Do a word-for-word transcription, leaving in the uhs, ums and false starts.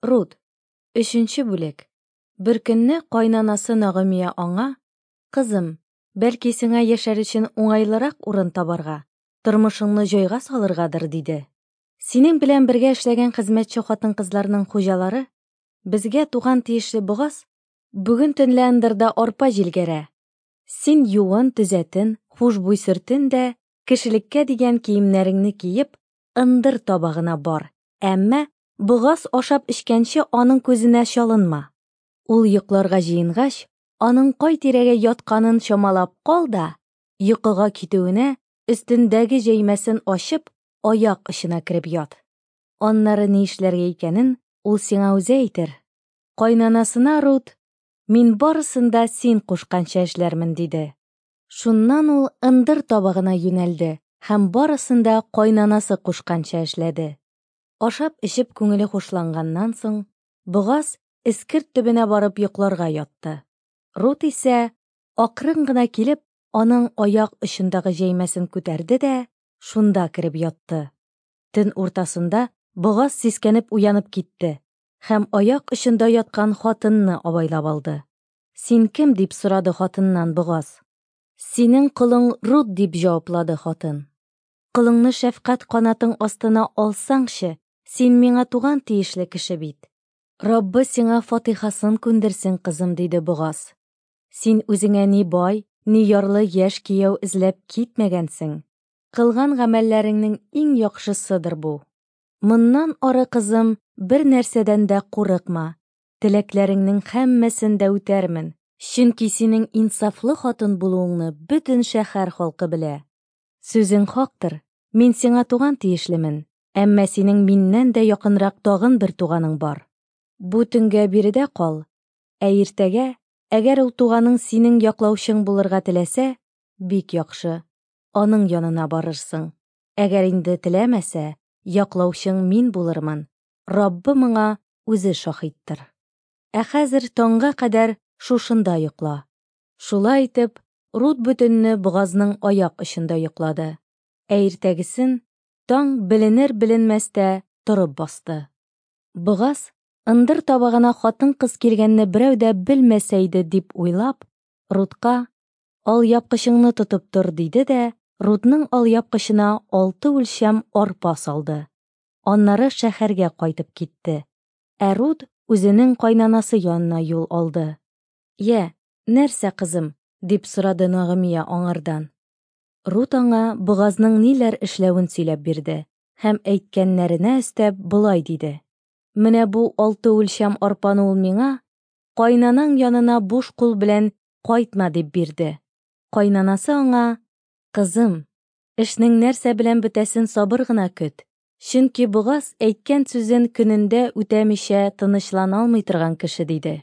Рут. Өченче бүлек. Беркөнне кайнанасы Нагымия аңа: "Кызым, бәлки сиңа яшәр өчен уңайлырак урын табарга, тормышыңны җайга салыргадыр", – диде. Синең белән бергә эшләгән хезмәтче хатын-кызларның хуҗалары, безгә туган тиешле Богаз, бүген төнлә ындырда арпа җилгәрә. Син юын, төзәтен, хушбуй сөртен дә, кешелеккә дигән киемнәреңне киеп, ындыр табагына бар. Әмма Богаз ашап эчкәнче аның күзенә чалынма. Ул йокларга җыенгач, аның кай тирәгә ятканын чамалап кал да, йокыга китүенә өстендәге җәймәсен ачып, аяк очына кереп ят. Аннары ни эшләргә икәнен ул сиңа үзе әйтер. Кайнанасына Рут: "Мин барысын да син кушканча эшләрмен", – диде. Шуннан ул ындыр табагына юнәлде һәм барысын да кайнанасы кушканча эшләде. Ашап эчеп күңеле хушланганнан соң, Богаз эскерт төбенә барып йокларга ятты. Рут исә акрын гына килеп, аның аяк очындагы җәймәсен күтәрде дә шунда кереп ятты. Төн уртасында Богаз сискәнеп уянып китте һәм аяк очында яткан хатынны абайлап алды. "Син кем?" – дип сорады хатыннан Богаз. "Синең колың Рут", – дип җаваплады хатын. "Колыңны шәфкать канатың астына алсаңчы, син миңа туган тиешле кеше бит. Раббы сиңа фатихасын күндерсен, кызым", – диде Богаз. "Син үзеңә ни бай, ни ярлы яшь кияү эзләп китмәгәнсең. Кылган гамәлләреңнең иң яхшысыдыр бу. Моннан ары, кызым, бер нәрсәдән дә курыкма. Теләкләреңнең һәммәсен дә үтәрмен, чөнки синең инсафлы хатын булуыңны бөтен шәһәр халкы белә. Сүзең хактыр, мин сиңа туган тиешлемен, әмма синең миннән дә якынрак тагын бер туганың бар. Бу төнгә биредә кал, ә иртәгә, әгәр ул туганың синең яклаучың булырга теләсә, бик яхшы, аның янына барырсың. Әгәр инде теләмәсә, яклаучың мин булырмын. Раббы моңа үзе шаһиттыр. Ә хәзер таңга кадәр шушында йокла". Шулай итеп, Рут бөтенне Богазның аяк очында йоклады. Ә иртәгесен таң беленер-беленмәстә торып басты. Богаз ындыр табагына хатын-кыз килгәнне берәү дә белмәсә иде дип уйлап, Рутка: "Алъяпкычыңны тотып тор", – диде дә Рутның алъяпкычына алты үлчәм арпа салды. Аннары шәһәргә кайтып китте. Ә Рут үзенең кайнанасы янына юл алды. "Йә, нәрсә, кызым?" – дип сорады Нагымия аңардан. Рут аңа Богазның ниләр эшләвен сөйләп бирде һәм әйткәннәренә өстәп болай диде: "Менә бу алты үлчәм арпаны ул миңа, кайнанаң янына буш кул белән кайтма, дип бирде". Кайнанасы аңа: "Кызым, эшнең нәрсә белән бетәсен сабыр гына көт, чөнки Богаз әйткән сүзен көнендә үтәмичә тынычлана алмый торган кеше", – диде.